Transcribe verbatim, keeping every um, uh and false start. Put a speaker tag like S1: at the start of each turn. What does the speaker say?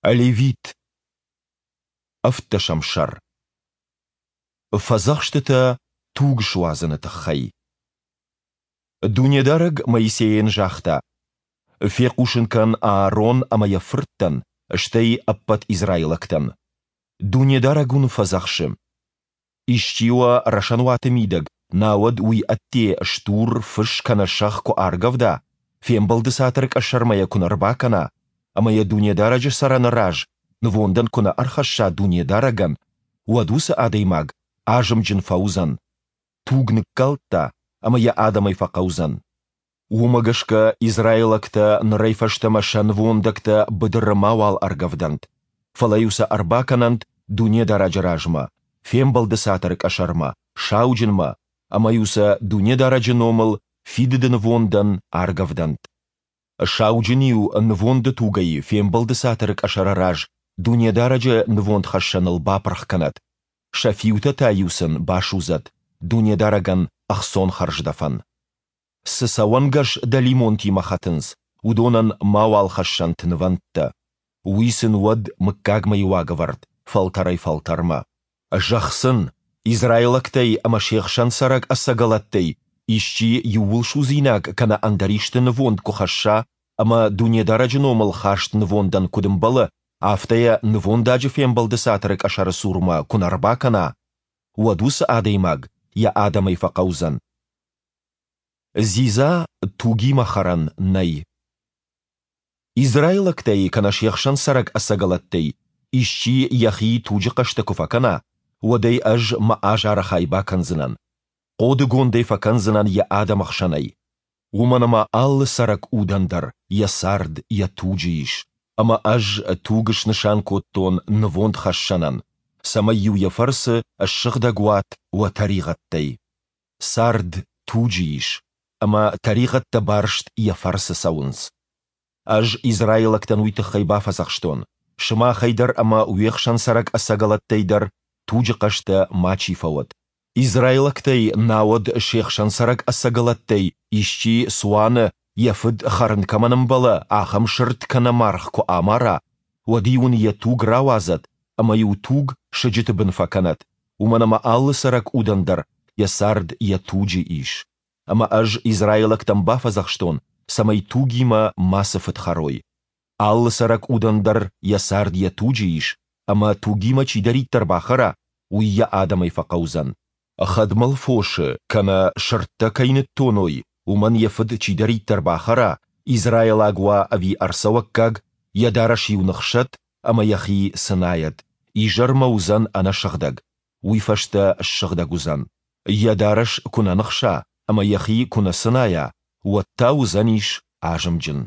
S1: Левит. Ӕвддӕсӕм сӕр. Фӕдзӕхстытӕ туг суадзыны тыххӕй. Дунедарӕг Моисейӕн загъта: «Фехъусын кӕн Аарон ӕмӕ йӕ фырттӕн, стӕй ӕппӕт израилӕгтӕн: Дунедарӕг уын фӕдзӕхсы: Исчи уӕ рӕсӕнуаты мидӕг, науӕд уый ӕдде стур, фыс кӕнӕ сӕгъ куы аргӕвда, Фембӕлды Цатыры къӕсӕрмӕ йӕ куы нӕ рбакӕна ӕмӕ йӕ Дунедарӕджы цӕрӕны раз нывондӕн куы нӕ ӕрхӕсса Дунедарӕгӕн, уӕд уыцы адӕймаг азымджын фӕуыдзӕн, туг ныккалдта ӕмӕ йӕ адӕмӕй фӕхъӕудзӕн. Уымӕ гӕсгӕ израилӕгтӕ нырӕй фӕстӕмӕ сӕ нывондӕгтӕ быдыры мауал ӕргӕвдӕнт, фӕлӕ-иу сӕ ӕрбакӕнӕнт Дунедарӕджы размӕ, Фембӕлды Цатыры къӕсӕрмӕ, сауджынмӕ, ӕмӕ-иу сӕ Дунедарӕджы номыл фидыды нывондӕн аргӕвдӕнт. Сауджын-иу нывонды тугӕй Фембӕлды Цатыры къӕсӕры раз Дунедарӕджы нывондхӕссӕныл бапырх кӕнӕд, сӕ фиутӕ та-иу сын басудзӕд Дунедарӕгӕн ӕхцон хӕрздӕфӕн. Цы цӕуӕнгӕс дӕлимонтимӕ хӕтынц, уыдонӕн мауал хӕссӕнт нывӕндтӕ. Уый сын уӕд мыггагмӕйы уагӕвӕрд фӕлтӕрӕй-фӕлтӕрмӕ. Зӕгъ сын, израилӕгтӕй ӕмӕ се хсӕн цӕрӕг ӕцӕгӕлӕттӕй исчи иууылсудзинаг кӕнӕ ӕндӕр исты нывонд куы хӕсса ӕмӕ Дунедарӕджы номыл хаст нывондӕн куыд ӕмбӕлы, афтӕ йӕ нывондаджы Фембӕлды Цатыры къӕсӕры цурмӕ куы нӕ рбакӕна, уӕд уыцы адӕймаг йӕ адӕмӕй фӕхъӕудзӕн. Дзидза тугимӕ хӕрӕн нӕй. Израилӕгтӕй кӕнӕ се хсӕн цӕрӕг ӕцӕгӕлӕттӕй исчи йӕхи туджы хъӕстӕ куы фӕкӕна, уӕд ӕй ӕз мӕ азары хай бакӕндзынӕн, хъодыгонд ӕй фӕкӕндзынӕн йӕ адӕмы хсӕнӕй. Уымӕн ӕмӕ алы цӕрӕг удӕн дӕр йӕ цард йӕ туджы ис, ӕмӕ ӕз туг снысан кодтон нывондхӕссӕнӕн, цӕмӕй-иу йӕ фӕрцы ссыгъдӕг уат уӕ тӕригъӕдтӕй. Цард туджы ис, ӕмӕ тӕригъӕдтӕ барст йӕ фӕрцы цӕуынц. Ӕз израилӕгтӕн уый тыххӕй бафӕдзӕхстон, сымахӕй дӕр ӕмӕ уе хсӕн цӕрӕг ӕцӕгӕлӕттӕй дӕр туджы хъӕстӕ мачи фӕуӕд. Израилӕгтӕй, науӕд се хсӕн цӕрӕг ӕцӕгӕлӕттӕй исчи цуаны, йӕ фыд хӕрын кӕмӕн ӕмбӕлы, ахӕм сырд кӕнӕ маргъ куы амара, уӕд-иу ын йӕ туг рауадзӕд ӕмӕ-иу туг сыджыты бын фӕкӕнӕд, уымӕн ӕмӕ алы цӕрӕг удӕн дӕр йӕ цард йӕ туджы ис. Ӕмӕ ӕз израилӕгтӕн бафӕдзӕхстон, цӕмӕй тугимӕ мацы фыд хӕрой. Алы цӕрӕг удӕн дӕр йӕ цард йӕ туджы ис, ӕмӕ тугимӕ чидӕриддӕр бахӕра, уый йӕ адӕмӕй фӕхъӕудзӕн. Хӕдмӕл фосы кӕнӕ сырдтӕ кӕй ныттоной, уымӕн йӕ фыд чидӕриддӕр бахӕра, израилаг уа ӕви ӕрцӕуӕггаг, йӕ дарӕс-иу ныхсӕд ӕмӕ йӕхи цынайӕд, изӕрмӕ уыдзӕн ӕнӕсыгъдӕг, уый фӕстӕ ссыгъдӕг уыдзӕн. Йӕ дарӕс куы нӕ ныхса ӕмӕ йӕхи куы нӕ цынайа, уӕд та уыдзӕнис азымджын.